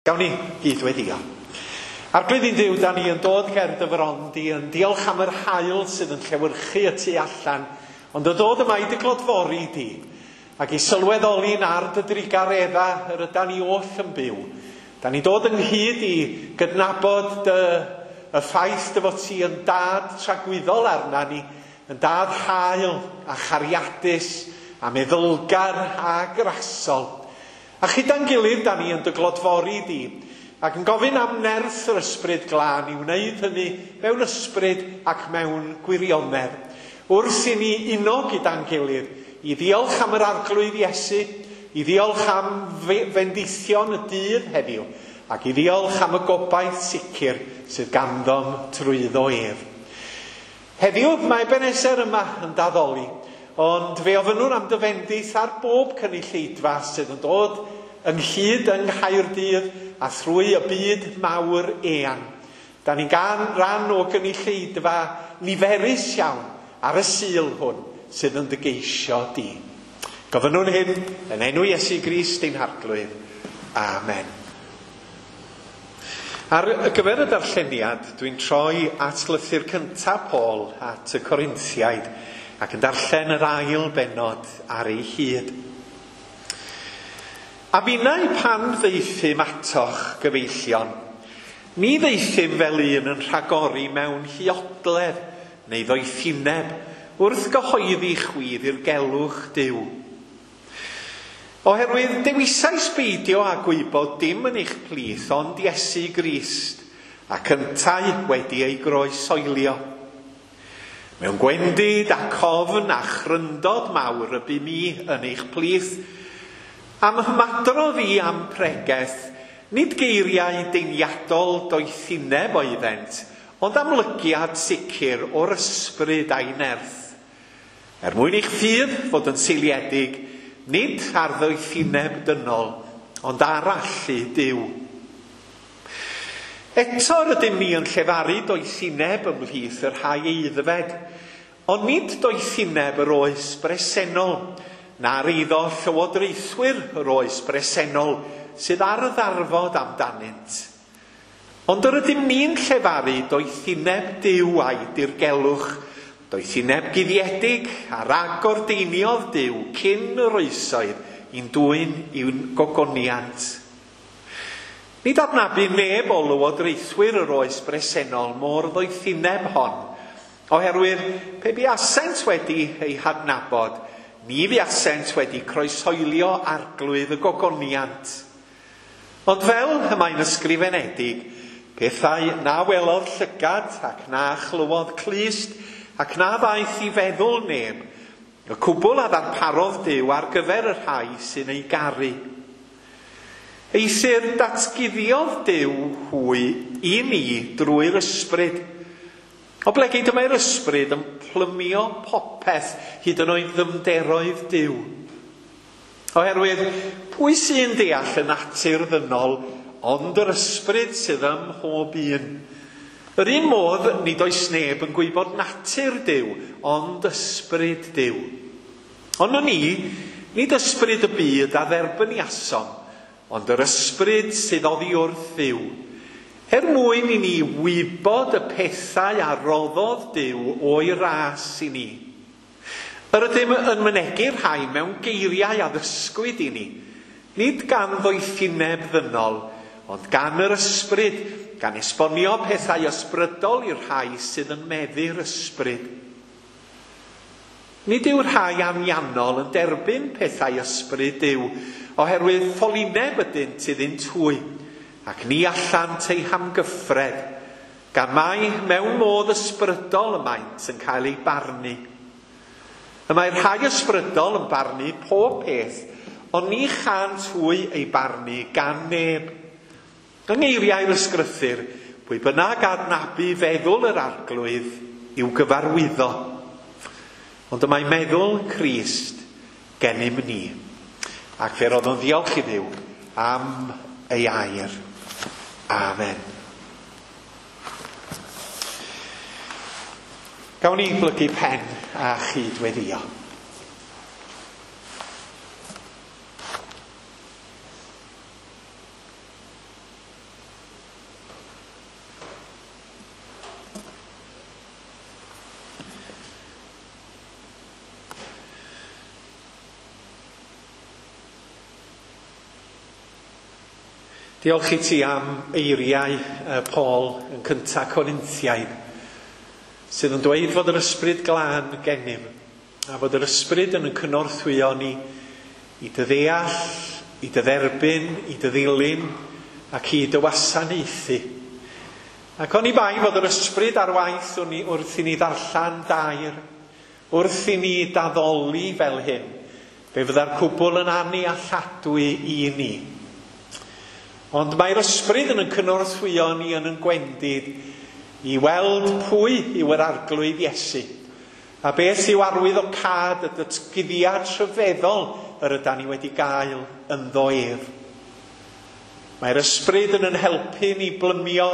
Gawn ni gyd-weddïo. Arglwydd ein Duw, da ni yn dod ger dy fron di, yn diolch am yr haul sydd yn llewyrchu y tu allan, ond yn dod yma i dy glodfori di, ac i sylweddoli'n ar dy drugaredda yr ydan ni oll yn byw. Da ni'n dod ynghyd i gydnabod dy, y ffaith dy fod ti yn dad tragwyddol arna ni, yn dad hael a chariadus a meddylgar a grasol. A chyda'n gilydd, da ni yn dy glodfori di, ac yn gofyn am nerth yr ysbryd glân i wneud hynny mewn ysbryd ac mewn gwirionedd. Wrth i ni uno gyda'n gilydd, i ddiolch am yr Arglwydd Iesu, i ddiolch am fendithion y dydd heddiw, ac i ddiolch am y gobaith sicr sydd ganddom trwyddo ef. Heddiw mae Ebenezer yma yn daddoli, ond fe ofynnwn am dy fendith ar bob cynulleidfa sydd yn dod ynghyd yng Nghaerdydd a thrwy y byd mawr eang. Da ni'n gan ran o gynulleidfa niferus iawn ar y Sul hwn sydd yn dy geisio di. Gofynnwn hyn yn enw Iesu Grist ein Harglwydd. Amen. Ar gyfer y darlleniad, dwi'n troi at lythyr cyntaf Paul at y Corinthiaid ac yn darllen yr ail bennod ar ei hyd. A finnau pan ddaethum atoch, gyfeillion, ni ddaethum fel un yn rhagori mewn huodledd neu ddoethineb wrth gyhoeddi chwi ddirgelwch Duw. Oherwydd dewisais beidio â gwybod dim yn eich plith ond Iesu Grist, ac yntau wedi ei groesoelio. Mewn gwendid ac ofn a chryndod mawr y bu mi yn eich plith, am ymadrodd i am pregeth, nid geiriau deiniadol doethineb oeddent, ond amlygiad sicr o'r ysbryd a'i nerth. Er mwyn i'ch ffydd fod yn seiliedig, nid ar ddoethineb dynol, ond ar allu Duw. Eto rydym ni yn llefaru doethineb ymhlith y rhai aeddfed, ond nid doethineb yr oes bresennol, na'r eiddo llywodraethwyr yr oes bresennol sydd ar y ddarfod amdanynt. Ond yr ydym ni'n llefaru doethineb Duw a'i dirgelwch, doethineb guddiedig a ragordeiniodd Duw cyn yr oesoedd i'n dwyn i'w gogoniant. Nid adnabu neb o lywodraethwyr yr oes bresennol mor ddoethineb hon, oherwydd pe buasent wedi ei hadnabod, ni fuasent wedi croeshoelio arglwydd y gogoniant. Ond fel y mae'n ysgrifenedig, pethau na welodd llygad ac na chlywodd clust ac na ddaeth i feddwl neb, y cwbl a ddarparodd Duw ar gyfer y rhai sy'n ei garu. Eithr datguddiodd Duw hwy i ni drwy'r ysbryd. Oblegid y mae'r ysbryd yn plymio popeth hyd yn oed ddyfnderoedd Duw. Oherwydd, pwy sy'n deall y natur ddynol ond yr ysbryd sydd ym mhob un? Yr un modd, nid oes neb yn gwybod natur Duw, ond ysbryd Duw. Ond ni, nid ysbryd y byd a dderbyniasom, ond yr ysbryd sydd oddi wrth Dduw, er mwyn i ni wybod y pethau a roddodd Duw o'i ras i ni. Yr ydym yn mynegu'r rhai mewn geiriau a ddysgwyd i ni, nid gan ddoethineb ddynol, ond gan yr ysbryd, gan esbonio pethau ysbrydol i'r rhai sydd yn meddu'r ysbryd. Nid yw'r rhai anianol yn derbyn pethau ysbryd Duw, oherwydd ffolineb ydynt iddynt hwy, ac ni allant eu hamgyffred, gan mai mewn modd ysbrydol y maent yn cael eu barnu. Y mae rhai ysbrydol yn barnu pob peth, ond ni chant hwy eu barnu gan neb. Yng ngeiriau'r ysgrythur, pwy bynnag adnabu feddwl yr Arglwydd i'w gyfarwyddo. Ond y mae meddwl Crist gennym ni. Ac fe roddwn ddiolch i Dduw am ei air. Amen. Gawn ni blygu pen a chyd-weddïo. Diolch i ti am eiriau Paul yn cynta Corinthiaid, sydd yn dweud fod yr ysbryd glân gennym, a fod yr ysbryd yn cynorthwyo ni i dy ddeall, i dy dderbyn, i dy ddilyn, ac i dy wasanaethu. Ac oni bai fod yr ysbryd ar waith wrth i ni ddarllen dair, wrth i ni daddoli fel hyn, fe fydda'r cwbl yn annealladwy i ni. Ond mae'r ysbryd yn cynorthwyo ni yn yn gwendid i weld pwy yw yr arglwydd Iesu, a beth yw arwyddocâd y datguddiad rhyfeddol yr ydan ni wedi gael ynddo ef. Mae'r ysbryd yn yn helpu ni blymio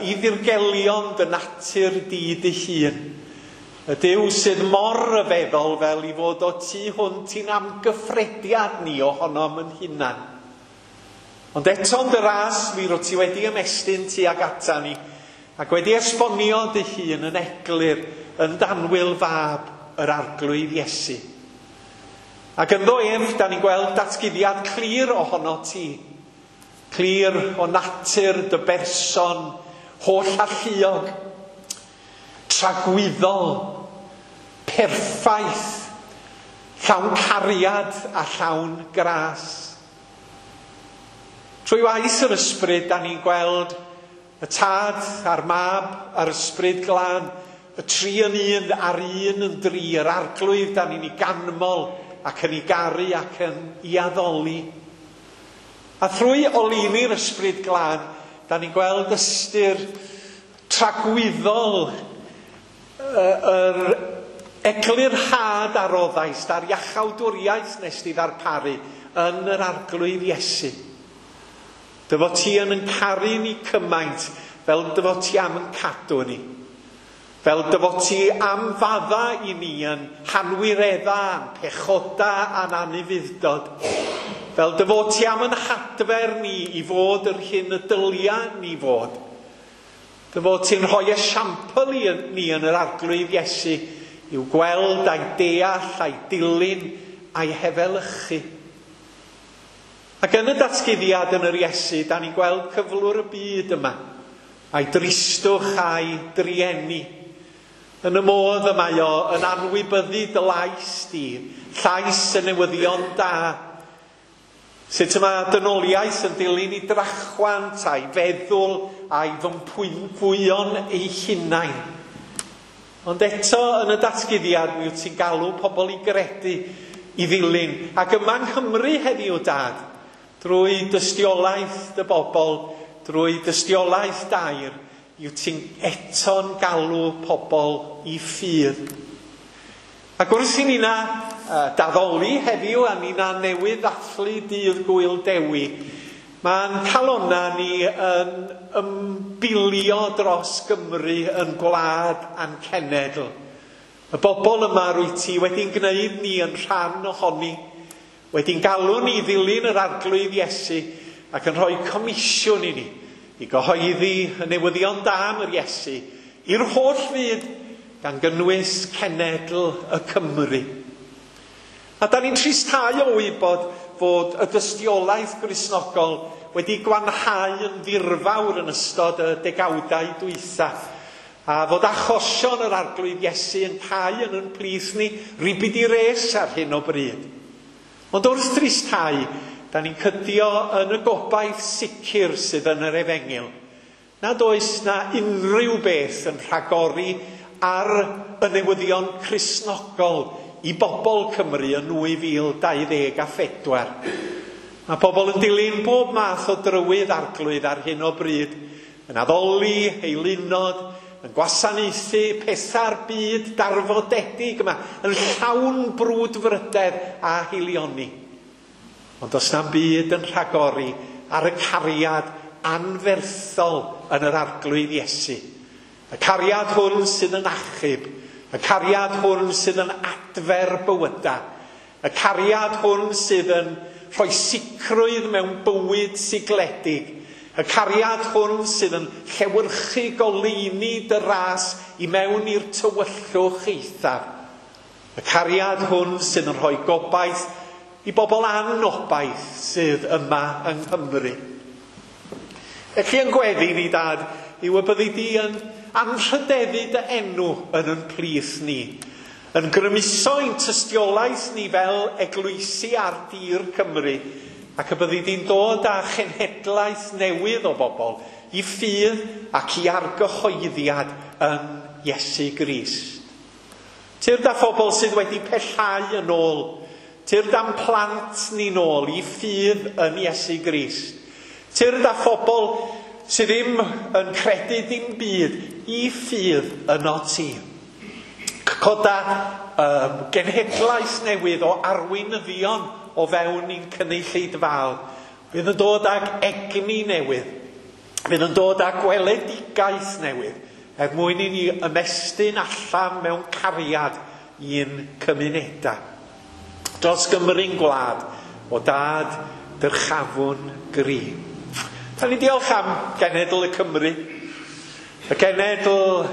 i ddirgelion dy natur di dy hun. Y Duw sydd mor ryfeddol fel i fod o tu hwnt i'n amgyffrediad ni ohonom yn hunan. Ond eto yn dy ras, mi rwyt ti wedi ymestyn tuag ata ni, ac wedi esbonio dy hun yn eglur yn danwyl fab yr arglwydd Iesu. Ac ynddo ef, da ni'n gweld datguddiad clir ohono ti, clir o natur dy berson, holl alluog, tragwyddol, perffaith, llawn cariad a llawn gras. Trwy waith yr ysbryd, da ni'n gweld y tad a'r mab a'r ysbryd glân, y tri yn un a'r un yn dri, yr arglwydd da ni'n ei ganmol ac yn ei garu ac yn ei addoli. A thrwy oleuni'r ysbryd glân, da ni'n gweld ystyr tragwyddol yr eglurhad a roddaist a'r iachawdwriaeth nes di ddarparu yn yr arglwydd Iesu. Dy fod ti yn caru ni cymaint fel dy fod ti am yn cadw ni. Fel dy fod ti am fadda i ni yn hanwiredda, yn pechoda a'n anufudd-dod. Fel dy fod ti am yn hadfer ni i fod yr hyn y dylia ni fod. Dy fod ti'n rhoi esiampl i ni yn yr arglwydd Iesu i'w gweld a'i deall a'i dilyn a'i hefelychu. Ac yn y datguddiad yn yr Iesu, da ni'n gweld cyflwr y byd yma, a'i dristwch a'i drueni. Yn y modd y mae o yn anwybyddu dy lais di, llais y newyddion da. Sut y mae dynoliaeth yn dilyn i drachwant a'i feddwl a'i fympwyon ei hunain. Ond eto yn y datguddiad mi wyt ti'n galw pobl i gredu, i ddilyn. Ac yma yng Nghymru heddiw, Dad, drwy dystiolaeth dy bobl, drwy dystiolaeth dair, yw ti'n eto'n galw pobl i ffydd. Ac wrth i ni'na daddoli heddiw a ni'na newydd ddathlu dydd Gŵyl Dewi, mae'n calonna ni yn ymbilio dros Gymru yn gwlad a'n cenedl. Y bobl yma rwyt ti wedi'n gwneud ni yn rhan ohoni, wedi'n galw ni ddilyn yr arglwydd Iesu ac yn rhoi comisiwn i ni i gyhoeddi y newyddion da am yr Iesu i'r holl fyd, gan gynnwys cenedl y Cymru. A da ni'n tristhau o wybod fod y dystiolaeth Gristnogol wedi gwanhau yn ddirfawr yn ystod y degawdau dwytha, a fod achosion yr arglwydd Iesu yn cau yn yn plith ni ribid i res ar hyn o bryd. Ond wrth tristhau, da ni'n cydio yn y gobaith sicr sydd yn yr efengyl, nad oes na unrhyw beth yn rhagori ar y newyddion Cristnogol i bobl Cymru yn 2024. Mae pobl yn dilyn bob math o drywydd arglwydd ar hyn o bryd, yn addoli, eilunod, yn gwasanaethu pethau'r byd darfodedig yma, yn llawn brwdfrydedd a hilioni. Ond does na'm byd yn rhagori ar y cariad anferthol yn yr arglwydd Iesu. Y cariad hwn sydd yn achub, y cariad hwn sydd yn adfer bywyda, y cariad hwn sydd yn rhoi sicrwydd mewn bywyd sigledig, y cariad hwn sydd yn llewyrchu goleuni dy ras i mewn i'r tywyllwch eithaf, y cariad hwn sydd yn rhoi gobaith i bobl anobaith sydd yma yng Nghymru. Felly yn gweddi ni, Dad, yw y byddi di yn anrhydeddu dy enw yn yn plith ni, yn grymuso ein tystiolaeth ni fel eglwysi ar dir Cymru, ac y byddi di'n dod â chenhedlaeth newydd o bobl i ffydd ac i argyhoeddiad yn Iesu Grist. Tyrd â phobl sydd wedi pellhau yn ôl, tyrd â'n plant ni'n ôl i ffydd yn Iesu Grist. Tyrd â phobl sydd ddim yn credu dim byd i ffydd yno ti. Coda genhedlaeth newydd o arweinyddion o fewn i'n cynulleidfaol. Fydd yn dod ag egni newydd. Fydd yn dod â gweledigaeth newydd er mwyn i ni ymestyn allan mewn cariad i'n cymunedau. Dros Gymru'n gwlad, o Dad dyrchafwn gri. Da ni'n diolch am genedl y Cymru, y genedl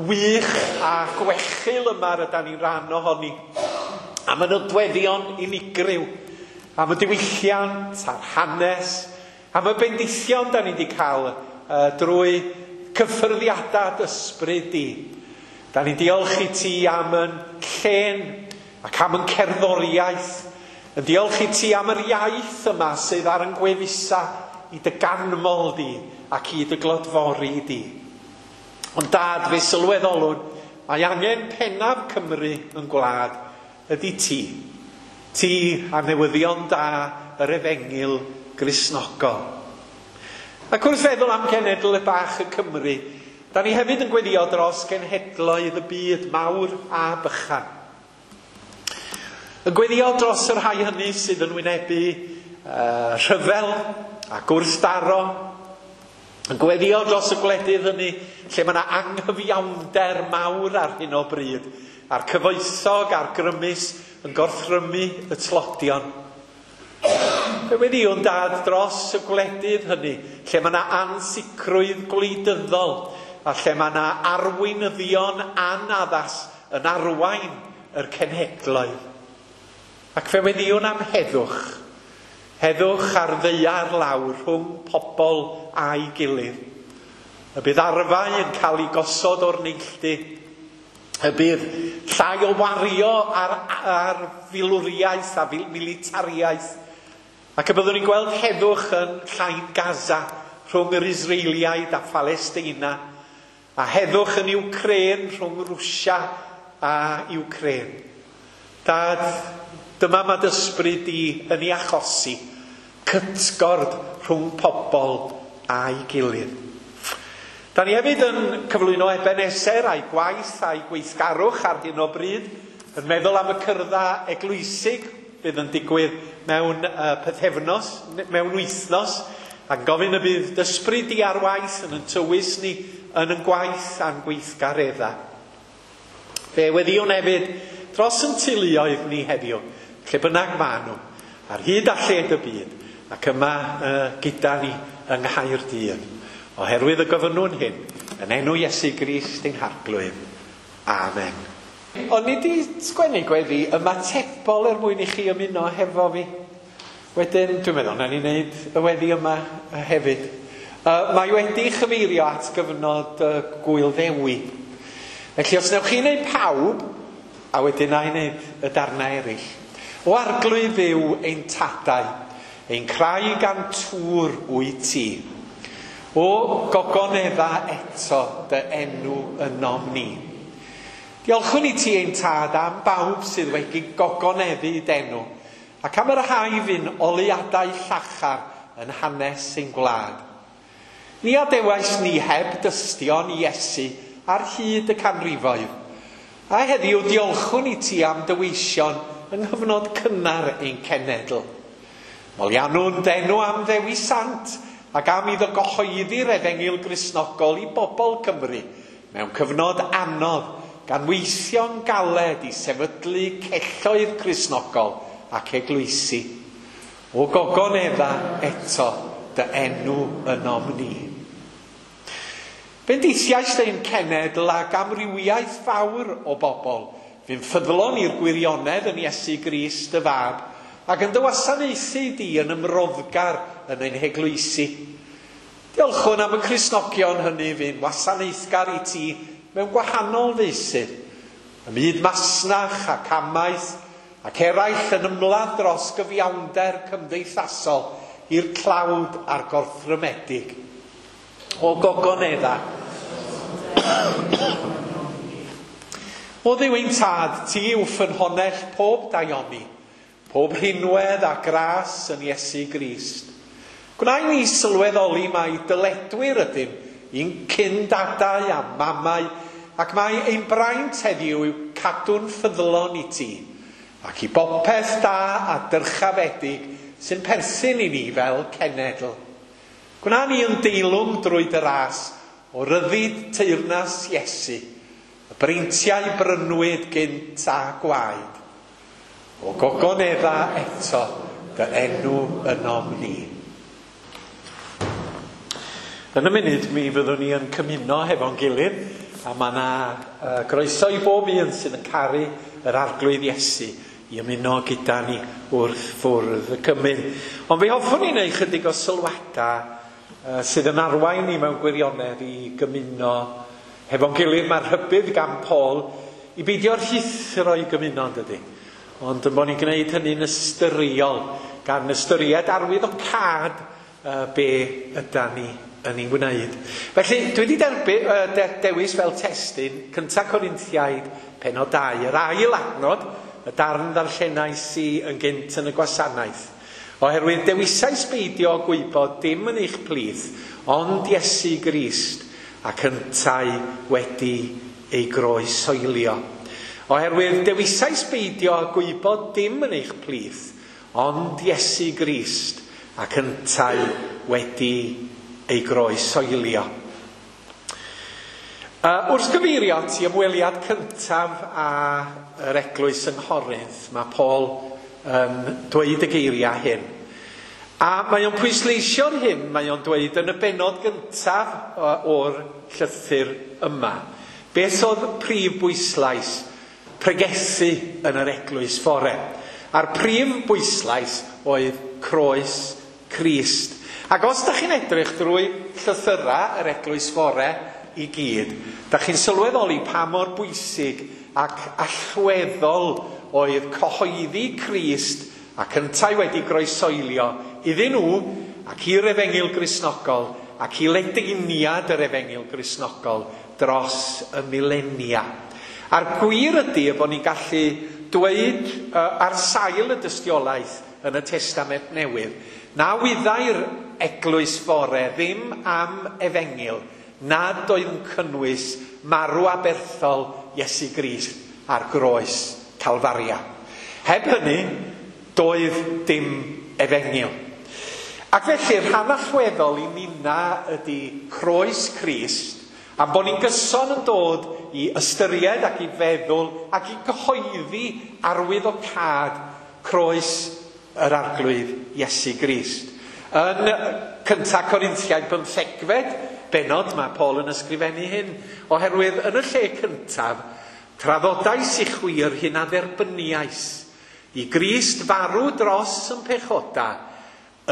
wych a gwechil yma rydyn ni'n rhan ohoni, am y nodweddion unigryw, am y diwylliant a'r hanes, am y bendithion da ni wedi cael drwy cyffyrddiadau ysbryd di. Da ni'n diolch i ti am yn llên ac am yn cerddoriaeth, yn diolch i ti am yr iaith yma sydd ar yn gwefusa i dy ganmol di ac i dy glodfori di. Ond Dad, fe sylweddolwn, mae angen pennaf Cymru yn gwlad ydy ti. Ti a newyddion da yr efengyl Gristnogol. Ac wrth feddwl am genedl y bach y Cymru, da ni hefyd yn gweddio dros genhedloedd y byd mawr a bychan. Yn gweddio dros y rhai hynny sydd yn wynebu rhyfel a gwrthdaro, yn gweddio dros y gwledydd hynny lle mae yna anghyfiawnder mawr ar hyn o bryd, a'r cyfoethog a'r grymus yn gorthrymu y tlodion. Fe weddïwn, Dad, dros y gwledydd hynny lle mae yna ansicrwydd gwleidyddol a lle mae yna arweinyddion anaddas yn arwain yr cenhedloedd. Ac fe weddïwn am heddwch. Heddwch ar ddaear lawr rhwng pobl a'i gilydd. Y bydd arfau yn cael ei gosod o'r neilltu. Y bydd llai o wario ar filwriaeth a militariaeth. Ac y byddwn ni'n gweld heddwch yn llain Gaza rhwng yr Israeliaid a Phalesteina. A heddwch yn Ukraine rhwng Rwsia a Ukraine. Dad, dyma mae dy ysbryd di yn ei achosi, cytgord rhwng pobl a'i gilydd. Da ni hefyd yn cyflwyno Ebenezer a'i gwaith a'i gweithgarwch ar hyn o bryd, yn meddwl am y cyrddau eglwysig fydd yn digwydd mewn pythefnos, mewn wythnos, ac yn gofyn y bydd dy ysbryd di ar waith yn yn tywys ni yn yn gwaith a'n gweithgareddau. Fe weddïwn hefyd dros yn teuluoedd ni heddiw, lle bynnag maen nhw, ar hyd a lled y byd, ac yma gyda ni yng Nghaerdydd. Oherwydd y gofynnwn hyn, yn enw Iesu Grist ein Harglwydd. Amen. O'n i 'di sgwennu gweddi ymatebol er mwyn i chi ymuno hefo fi. Wedyn, dwi'n meddwl, nawn ni wneud y weddi yma hefyd. Mae wedi chyfeirio at gyfnod Gŵyl Ddewi. Felly, os newch chi wneud pawb, a wedyn na i wneud y darnau eraill. O Arglwydd Dduw ein tadau, ein craig a'n tŵr wyt ti. O gogonedda eto dy enw ynom ni. Diolchwn i ti ein tad am bawb sydd wedi gogoneddu d'enw, ac am yr rhai fu'n oleuadau llachar yn hanes ein gwlad. Ni adewais ni heb dystion i Iesu ar hyd y canrifoedd, a heddiw diolchwn i ti am dy weision yng nghyfnod cynnar ein cenedl. Moliannwn d'enw am Ddewi Sant ac am iddo gyhoeddi'r efengyl Gristnogol i bobl Cymru mewn cyfnod anodd, gan weithio'n galed i sefydlu celloedd Cristnogol ac eglwysi. O gogonedda eto dy enw ynom ni. Bendithiais ein cenedl ag amrywiaeth fawr o bobl, fu'n ffyddlon i'r gwirionedd yn Iesu Grist y Fab, ac yn dy wasanaethu di yn ymroddgar yn ein heglwysi. Diolchwn am y Cristnogion hynny fu'n wasanaethgar i ti mewn gwahanol feysydd, ym myd masnach ac amaeth, ac eraill yn ymladd dros gyfiawnder cymdeithasol i'r tlawd a'r gorthrymedig. O gogonedda. O Dduw ein tad, ti yw ffynhonnell pob daioni, pob rhinwedd a gras yn Iesu Grist. Gwna i ni sylweddoli mai dyledwyr ydym i'n cyndadau a mamau, ac mai ein braint heddiw yw cadw'n ffyddlon i ti, ac i bopeth da a dyrchafedig sy'n perthyn i ni fel cenedl. Gwna ni yn deilwng drwy dy ras o ryddid teyrnas Iesu, y breintiau brynwyd gynt a gwaed. O gogonedda eto dy enw ynom ni. Yn y munud mi fyddwn ni yn cymuno hefo'n gilydd, a mae yna groeso i bob un sydd yn caru yr Arglwydd Iesu i ymuno gyda ni wrth fwrdd y cymun. Ond fe hoffwn i wneud chydig o sylwadau sydd yn arwain ni mewn gwirionedd i gymuno hefo'n gilydd. Mae'r rhybudd gan Paul i beidio rhuthro i gymuno, yn dydy? Ond yn bod ni'n gwneud hynny'n ystyriol, gan ystyried arwyddocâd be ydan ni yn ei wneud. Felly, dwi wedi dewis fel testun 1 Corinthiaid penod 2, yr ail adnod, y darn ddarllenais i yn gynt yn y gwasanaeth. Oherwydd dewisais beidio gwybod dim yn eich plith, ond Iesu Grist ac yntau wedi ei groeshoelio. Oherwydd dewisais beidio gwybod dim yn eich plith, ond Iesu Grist ac yntau wedi ei groeshoelio. Wrth gyfeirio at i ymweliad cyntaf â yr eglwys yng Nghorinth, mae Paul yn dweud y geiriau hyn. A mae o'n pwysleisio'r hyn, mae o'n dweud yn y bennod gyntaf o'r llythyr yma. Beth oedd prif bwyslais pregethu yn yr eglwys fore? A'r prif bwyslais oedd croes Crist. Ac os da chi'n edrych drwy llythyrau yr eglwys fore i gyd, da chi'n sylweddoli pa mor bwysig ac allweddol oedd cyhoeddi Crist ac yntau wedi groeshoelio iddyn nhw ac i'r Efengyl Gristnogol ac i ledaeniad yr Efengyl Gristnogol dros y milenia. A'r gwir ydy y bod ni'n gallu dweud ar sail y dystiolaeth yn y Testament Newydd na wyddai'r eglwys fore ddim am Efengyl nad oedd yn cynnwys marw aberthol Iesu Grist ar groes Calfaria. Heb hynny, doedd dim Efengyl. Ac felly, rhan allweddol i ninna ydy croes Crist, am bod ni'n gyson yn dod i ystyried ac i feddwl ac i gyhoeddi arwyddocâd croes yr Arglwydd Iesu Grist. Yn 1 Corinthiaid 15 bennod mae Paul yn ysgrifennu hyn, oherwydd yn y lle cyntaf, traddodais i chwi yr hyn a dderbyniais, i Grist farw dros yn pechoda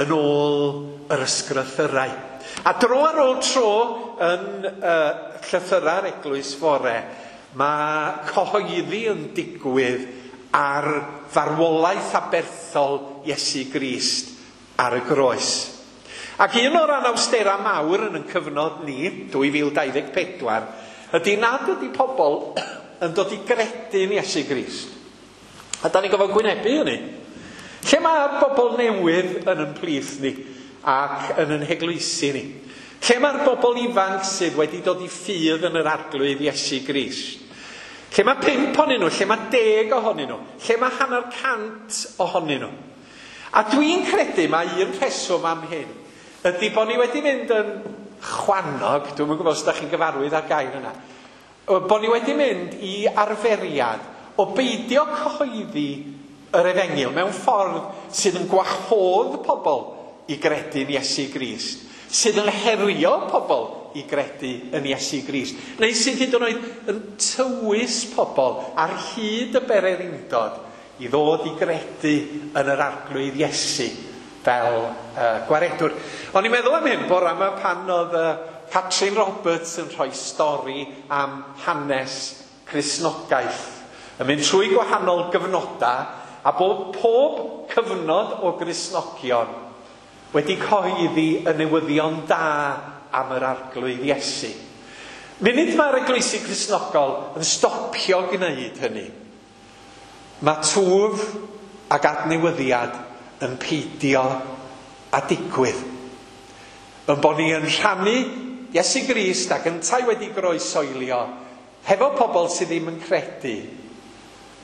yn ôl yr ysgrythyrau. A dro ar ôl tro yn llythyrau'r eglwys fore, mae cyhoeddi yn digwydd ar farwolaeth aberthol Iesu Grist ar y groes. Ac un o'r anawsterau mawr yn ein cyfnod ni, 2024, ydy nad ydy pobl yn dod i gredu'n Iesu Grist. A da ni'n gofod gwynebu hynny. Lle mae bobl newydd yn ein plith ni ac yn ein heglwysi ni? Lle mae'r bobl ifanc sydd wedi dod i ffydd yn yr Arglwydd Iesu Grist? Lle mae 5 ohonyn nhw? Lle mae 10 ohonyn nhw? Lle mae 150 ohonyn nhw? A dwi'n credu mae un rheswm am hyn ydy bod ni wedi mynd yn chwannog, dwi'm yn gwybod os ydych chi'n gyfarwydd â'r gair yna, bod ni wedi mynd i arferiad o beidio cyhoeddi yr Efengyl mewn ffordd sydd yn gwahodd pobl i gredu yn Iesu Grist, sydd yn herio pobl i gredu yn Iesu Grist, neu sydd hyd yn oed yn tywys pobl ar hyd y bererindod i ddod i gredu yn yr Arglwydd Iesu fel gwaredwr. O'n i'n meddwl am hyn bore yma pan oedd Catrin Roberts yn rhoi stori am hanes Cristnogaeth. Yn mynd trwy gwahanol gyfnodau a bod pob cyfnod o Gristnogion wedi cyhoeddi y newyddion da am yr Arglwydd Iesu. Munud mae'r eglwysi Cristnogol yn stopio gwneud hynny, mae twf ac adnewyddiad yn peidio a digwydd. Yn bod ni yn rhannu Iesu Grist ac yntau wedi groesoelio hefo pobl sydd ddim yn credu,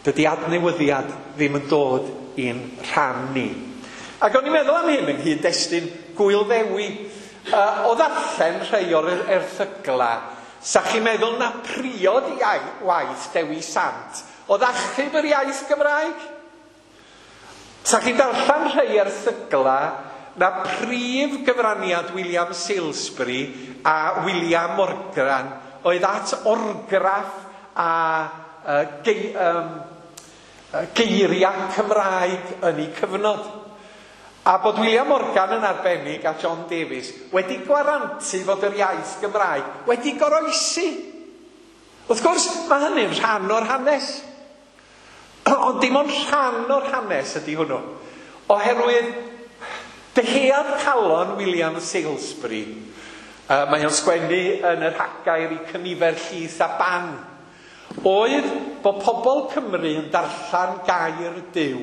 dydy adnewyddiad ddim yn dod i'n rhan ni. Ac o'n i'n meddwl am hyn yng nghyd-destun Gŵyl Ddewi. O ddarllen rhai o'r erthygla, sa chi'n meddwl na priod waith Dewi Sant oedd achub yr iaith Gymraeg? Sa chi'n darllen rhai erthygla na prif gyfraniad William Salesbury a William Morgan oedd at orgraff a geiriau Cymraeg yn eu cyfnod. A bod William Morgan yn arbennig a John Davies wedi gwarantu fod yr iaith Gymraeg wedi goroesi. Wrth gwrs, mae hynny'n rhan o'r hanes. Ond dim ond rhan o'r hanes ydy hwnnw. Oherwydd dyhead calon William Salesbury, mae o'n sgwennu yn yr Hagair i cynifer llith a ban, oedd bod pobl Cymru yn darllen gair Duw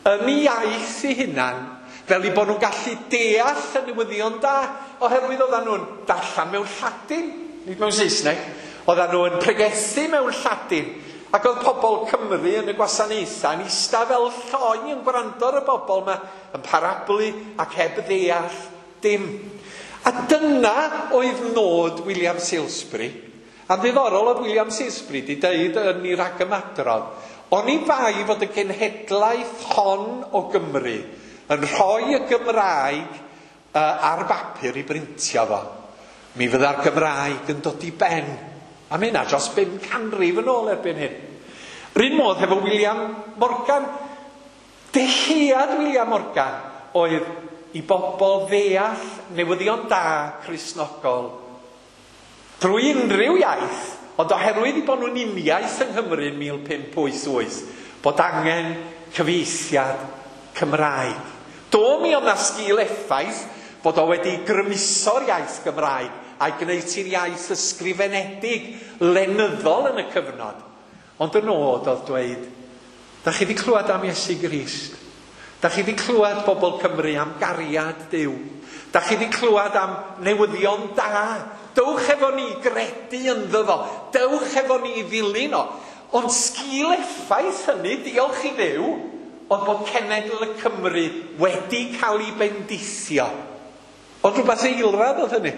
yn ei iaith ei hunan, fel i bod nhw'n gallu deall y newyddion da, oherwydd oedden nhw'n darllen mewn Lladin, nid mewn Saesneg, oedden nhw'n pregethu mewn Lladin, ac oedd pobl Cymru yn y gwasanaethau yn eistedd fel lloi yn gwrando ar y bobl yma, yn parablu ac heb ddeall dim. A dyna oedd nod William Salesbury. A'n ddiddorol oedd William Salesbury wedi deud yn ei ragymadrodd, oni bai fod y genhedlaeth hon o Gymru yn rhoi y Gymraeg ar bapur i brintio fo, mi fydda'r Gymraeg yn dod i ben. A mae hynna dros 5 canrif yn ôl erbyn hyn. Yr un modd hefo William Morgan. Dyhead William Morgan oedd i bobl ddeall newyddion da Cristnogol drwy unrhyw iaith, ond oherwydd i bod nhw'n uniaith yng Nghymru yn 1588, bod angen cyfieithiad Cymraeg. Do mi oedd 'na sgil effaith bod o wedi grymuso'r iaith Gymraeg a'i gwneud hi'n iaith ysgrifenedig lenyddol yn y cyfnod. Ond y nod oedd dweud, da chi wedi clywed am Iesu Grist. Da chi wedi clywed bobl Cymru am gariad Duw. Da chi wedi clywed am newyddion da. Dewch efo ni gredu ynddo fo. Dewch efo ni ddilyn o. Ond sgil effaith hynny, diolch i Dduw, oedd bod cenedl y Cymru wedi cael ei bendithio. Ond rhywbeth eilradd oedd hynny.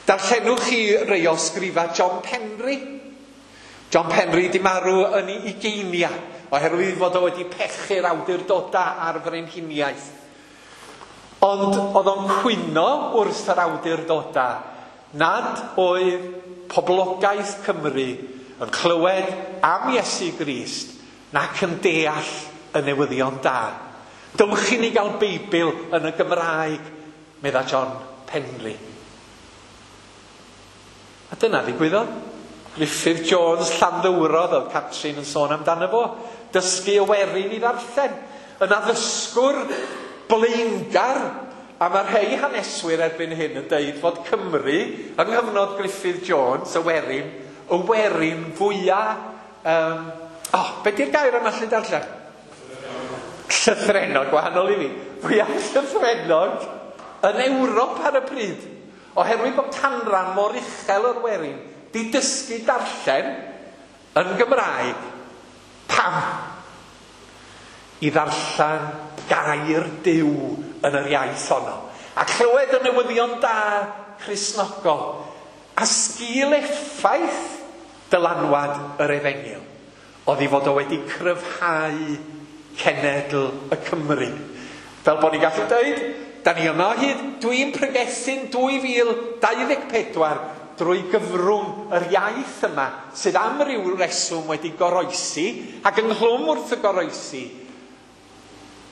Darllenwch chi rei o sgrifa John Penry. John Penry di marw yn ei ugeinia, oherwydd fod o wedi pechu'r awdurdodau a'r frenhiniaeth. Ond oedd o'n cwyno wrth yr awdurdodau nad oedd poblogaeth Cymru yn clywed am Iesu Grist nac yn deall y newyddion da. Dewch i ni gael Beibl yn y Gymraeg, medda John Penry. A dyna ddigwyddodd. Griffith Jones Llanddowrodd oedd Catrin yn sôn amdano fo. Dysgu y werin i ddarllen. Yn addysgwr blaengar. A mae rhai haneswyr erbyn hyn yn deud fod Cymru, yng nghyfnod Griffith Jones, y werin fwyaf... be di'r gair yma allu darllen? Llythrennog, gwahanol i fi. Fwyaf llythrennog yn Ewrop ar y pryd. Oherwydd bod canran mor uchel o'r werin di dysgu darllen yn Gymraeg. Pam? I ddarllen gair Duw yn yr iaith honno. A clywed y newyddion da Cristnogol. A sgil effaith dylanwad yr Efengyl oedd i fod o wedi cryfhau cenedl y Cymru. Fel bod ni'n gallu dweud, da ni yma o hyd, dwi'n pregethu'n 2024 drwy gyfrwng yr iaith yma sydd am ryw reswm wedi goroesi, ac ynghlwm wrth y goroesi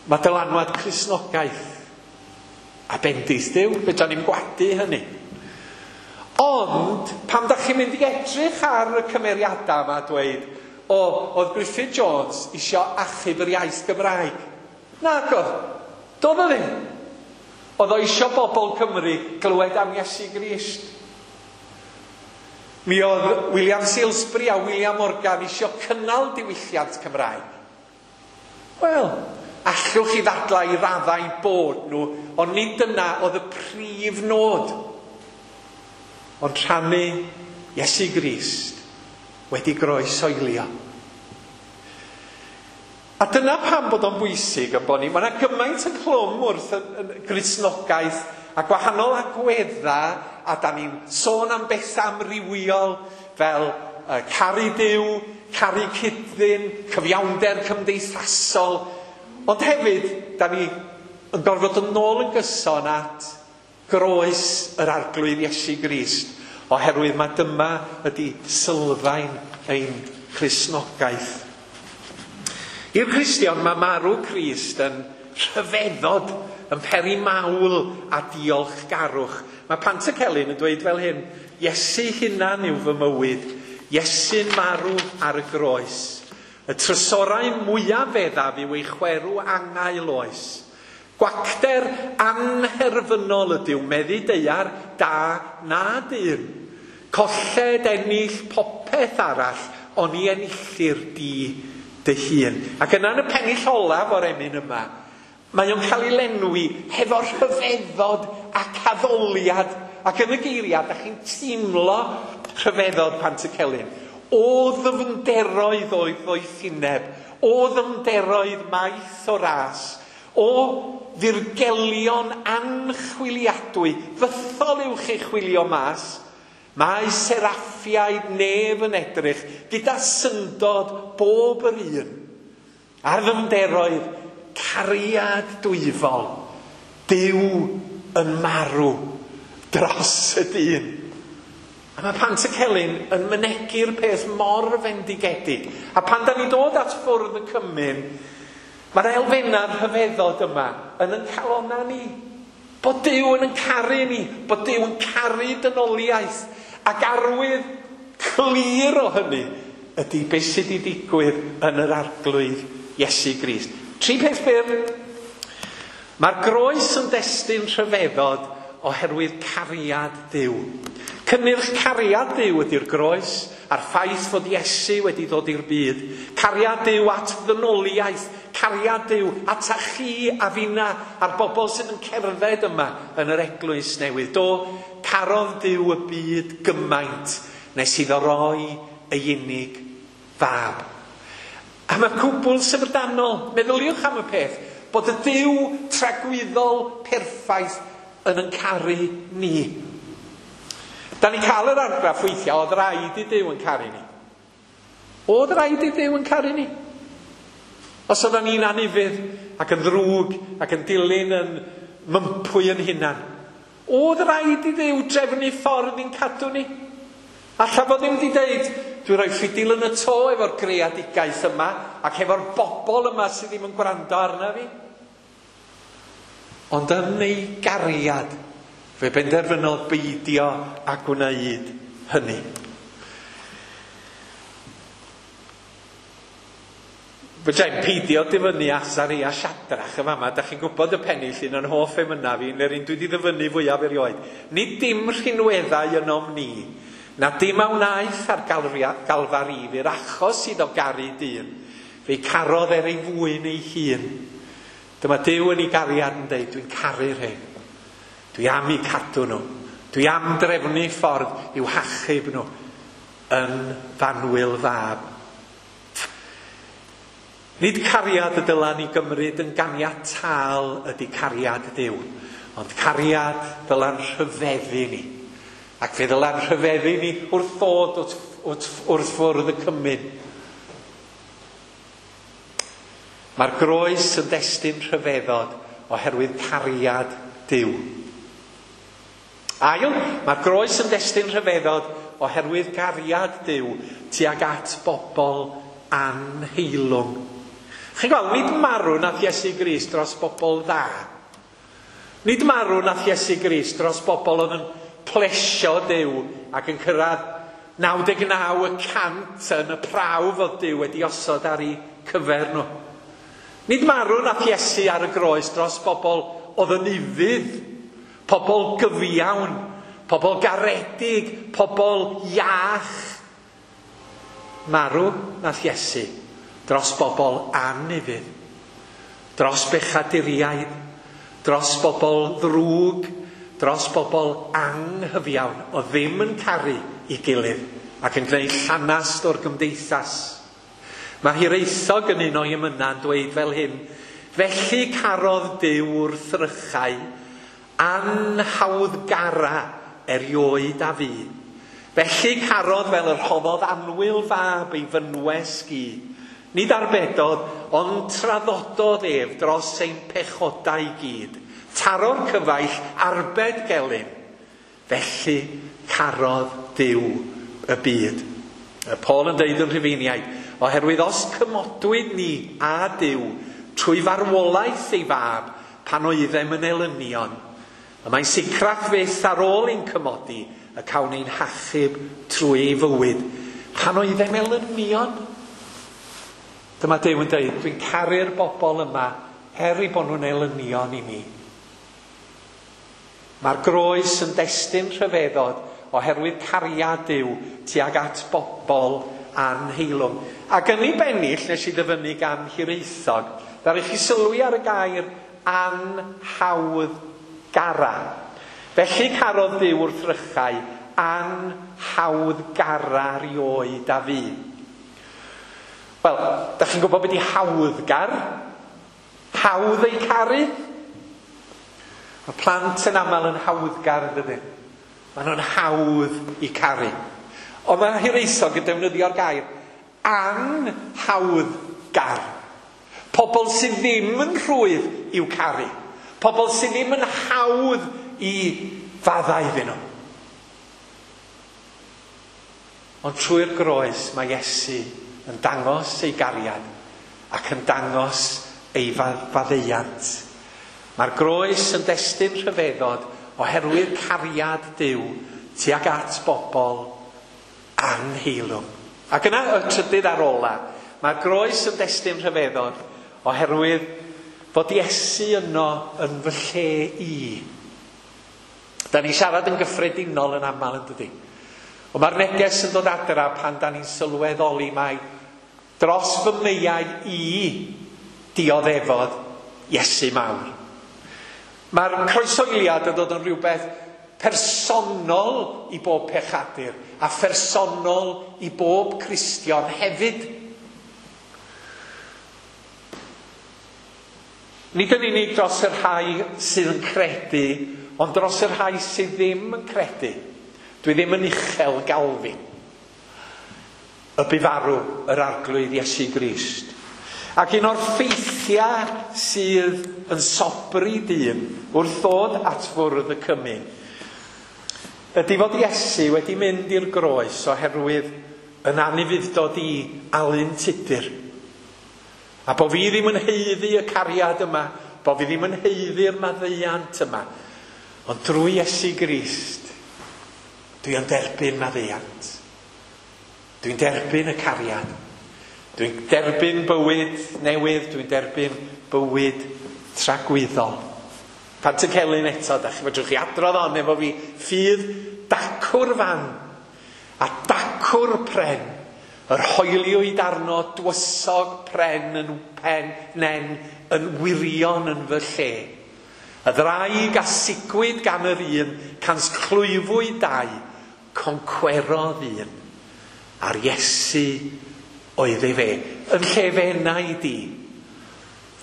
Mae dylanwad Cristnogaeth a bendith Duw, fedra ni'm gwadu hynny. Ond, pam da chi'n mynd i edrych ar y cymeriadau yma a dweud, o, oedd Griffith Jones isio achub yr iaith Gymraeg. Nag oedd. Doedd o ddim. Oedd o isio bobl Cymru glywed am Iesu Grist. Mi oedd William Salesbury a William Morgan isio cynnal diwylliant Cymraeg. Wel, allwch chi ddadlau i raddau bod nhw, ond nid dyna oedd y prif nod. Ond rhannu Iesu Grist wedi groesoelio. A dyna pam bod o'n bwysig yn bod ni. Mae yna gymaint ynghlwm wrth y Gristnogaeth a gwahanol agweddau, a da ni'n sôn am bethau amrywiol fel caru Duw, caru cyd-ddyn, cyfiawnder cymdeithasol. Ond hefyd, da ni yn gorfod yn ôl yn gyson at groes yr Arglwydd Iesu Grist, oherwydd mae dyma ydy sylfaen ein Cristnogaeth. I'r Cristion mae marw Crist yn rhyfeddod, yn peri mawl a diolchgarwch. Mae Pantycelyn yn dweud fel hyn, Iesu hunan yw fy mywyd, Iesu'n marw ar y groes. Y trysorau mwyaf feddaf yw ei chwerw angau oes. Gwacter anherfynol ydyw meddu daear da na dyn. Colled ennill popeth arall, ond i enillir di dy hun. Ac yna yn y pennill olaf o'r emyn yma, mae o'n cael ei lenwi hefo rhyfeddod ac addoliad. Ac yn y geiriau, da chi'n teimlo rhyfeddod Pantycelyn. O ddyfnderoedd o'i ddoethineb, o ddyfnderoedd maith o ras, o ddirgelion anchwiliadwy, fythol yw'ch ei chwilio mas, mae seraffiaid nef yn edrych gyda syndod bob yr un. Ar ddyfnderoedd cariad dwyfol, Duw yn marw dros y dyn. A mae Pantycelyn yn mynegi'r peth mor fendigedig. A pan da ni dod at ffwrdd y cymun, mae'r elfennau rhyfeddod yma yn yn calonna ni. Bod Duw yn yn caru ni, bod Duw yn caru dynoliaeth. Ac arwydd clir o hynny ydy beth sydd wedi digwydd yn yr Arglwydd Iesu Grist. Tri peth byr. Mae'r groes yn destun rhyfeddod oherwydd cariad Duw. Cynnyrch cariad Duw ydy'r groes a'r ffaith fod Iesu wedi dod i'r byd. Cariad Duw at ddynoliaeth, cariad Duw at a chi a finna a'r bobl sydd yn cerdded yma yn yr eglwys newydd. Do, carodd Duw y byd gymaint nes iddo roi ei unig fab. A mae cwbl syfrdanol, meddyliwch am y peth, bod y Duw tragwyddol perffaith yn yn caru ni. Da ni'n cael yr argraff weithiau, oedd rhaid i Duw yn caru ni. Oedd rhaid i Duw yn caru ni. Os oedden ni'n anufudd ac yn ddrwg ac yn dilyn yn mympwy yn hunan, oedd rhaid i Dduw drefnu ffordd i'n cadw ni. Alla fo ddim wedi deud, dwi'n rhoi ffidil yn y to efo'r greadigaeth yma ac efo'r bobl yma sydd ddim yn gwrando arna fi. Ond yn ei gariad, fe benderfynodd beidio a gwneud hynny. Fedra i'm peidio dyfynnu Asaria Siadrach y fama. Da chi'n gwybod y pennill un o'n hoff emynau fi, neu'r un dwi wedi ddyfynnu fwyaf erioed. Nid dim rhinweddau ynom ni, na dim a wnaeth ar Galfari i'r achos iddo garu dyn. Fe'i carodd er ei fwyn ei hun. Dyma Duw yn ei gariad yn deud, dwi'n caru'r hyn. Dwi am eu cadw nhw. Dwi am drefnu ffordd i'w hachub nhw yn fanwyl fab. Nid cariad y dylan ni gymryd yn ganiataol ydy cariad Duw, ond cariad dylan rhyfeddu ni. Ac fe ddylan rhyfeddu ni wrth ddod wrth fwrdd y cymun. Mae'r groes yn destun rhyfeddod oherwydd cariad Duw. Ail, mae'r groes yn destun rhyfeddod oherwydd cariad Duw tuag at bobl anheilwng. Chi'n gweld, nid marw nath Iesu Grist dros bobl dda. Nid marw nath Iesu Grist dros bobl oedd yn plesio Duw ac yn cyrraedd 99% yn y prawf oedd Duw wedi osod ar eu cyfer nhw. Nid marw nath Iesu ar y groes dros bobl oedd yn ufudd, pobl gyfiawn, pobl garedig, pobl iach. Marw nath Iesu dros bobl anufudd, dros bechaduriaid, dros bobl ddrwg, dros bobl anghyfiawn oedd ddim yn caru ei gilydd ac yn gwneud llanast o'r gymdeithas. Mae Hiraethog yn un o'i emynau yn dweud fel hyn: felly carodd Duw wrthrychau anhawddgara erioed a fu. Felly carodd fel yr rhoddodd annwyl fab ei fynwes gu. Nid arbedodd, ond traddododd ef dros ein pechodau i gyd. Taro'r cyfaill, arbed gelyn. Felly carodd Duw y byd. Paul yn deud yn Rhufeiniaid, oherwydd os cymodwyd ni a Duw trwy farwolaeth ei fab pan oeddem yn elynion, y mae'n sicrach fyth ar ôl ein cymodi y cawn ein hachub trwy ei fywyd. Pan oeddem elynion. Dyma Duw yn deud, dwi'n caru'r bobl yma er eu bod nhw'n elynion i mi. Mae'r groes yn destun rhyfeddod oherwydd cariad Duw tuag at bobl anheilwng. Ac yn ei bennill, nes i ddyfynnu gan Hiraethog, ddaru chi sylwi ar y gair anhawddgara. Felly carodd Duw wrthrychau anhawddgara rioed a fu. Wel, da chi'n gwybod beth di hawddgar? Hawdd ei caru? Mae plant yn aml yn hawddgar, yn dydyn? Maen nhw'n hawdd i caru. Ond mae Hiraethog yn defnyddio'r gair anhawddgar. Pobl sydd ddim yn rhwydd i'w caru. Pobl sydd ddim yn hawdd i faddau iddyn nhw. Ond trwy'r groes mae Iesu yn dangos ei gariad ac yn dangos ei faddeuant. Mae'r groes yn destun rhyfeddod oherwydd cariad Duw tuag at bobl anheilwng. Ac yna y trydydd ar ola, mae'r groes yn destun rhyfeddod oherwydd fod Iesu yno yn fy lle i. Da ni'n siarad yn gyffredinol yn aml, yn dydy? Ond mae'r neges yn dod adra pan da ni'n sylweddoli mai dros fy meiau i dioddefodd Iesu mawr. Mae'r croesoiliad yn dod yn rhywbeth personol i bob pechadur a phersonol i bob Cristion hefyd. Nid yn unig dros y rhai sydd yn credu, ond dros y rhai sydd ddim yn credu. Dwi ddim yn uchel Galfin. Y bu farw yr Arglwydd Iesu Grist. Ac un o'r ffeithiau sydd yn sobri dyn wrth ddod at fwrdd y cymun ydy fod Iesu wedi mynd i'r groes oherwydd yn anufudd-dod i Alun Tudur. A bo fi ddim yn haeddu y cariad yma, bo fi ddim yn haeddu'r maddeuant yma. Ond drwy Iesu Grist, dwi yn derbyn maddeuant. Dwi'n derbyn y cariad. Dwi'n derbyn bywyd newydd, dwi'n derbyn bywyd tragwyddol. Pantycelyn eto, da chi fedrwch chi adrodd on efo fi, ffydd dacw'r fan a dacw'r pren, yr hoeliwyd arno dwysog pren yn pen nen yn wirion yn fy lle. Y ddraig a sigwyd gan yr un, cans clwyfwyd dau, concwerodd un. A'r Iesu oedd ei fe. Yn lle fe enau di.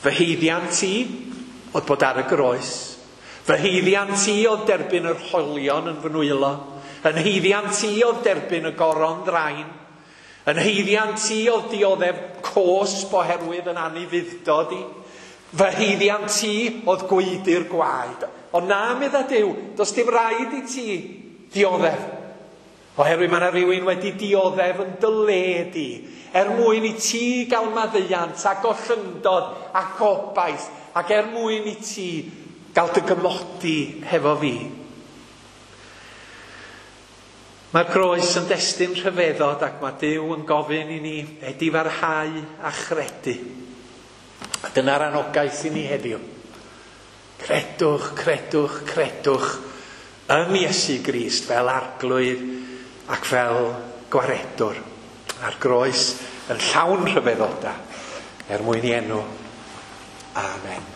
Fy haeddiant i oedd bod ar y groes. Fy haeddiant i oedd derbyn yr hoelion yn fy nwylo. Yn haeddiant i oedd derbyn y goron ddrain. Yn haeddiant i oedd dioddef cosb oherwydd yn anufudd-dod i. Fy haeddiant i oedd gwaedu'r gwaed. Ond na, medda Duw, does dim rhaid i ti dioddef. Oherwydd mae yna rhywun wedi dioddef yn dy le di, er mwyn i ti gael maddeuant a gollyngdod a gobaith, ac er mwyn i ti gael dy gymodi hefo fi. Mae'r groes yn destun rhyfeddod ac mae Duw yn gofyn i ni edifarhau a chredu. A dyna'r anogaeth i ni heddiw. Credwch, credwch, credwch yn Iesu Grist fel Arglwydd ac fel gwaredwr. A'r groes yn llawn rhyfeddodau er mwyn i enw. Amen.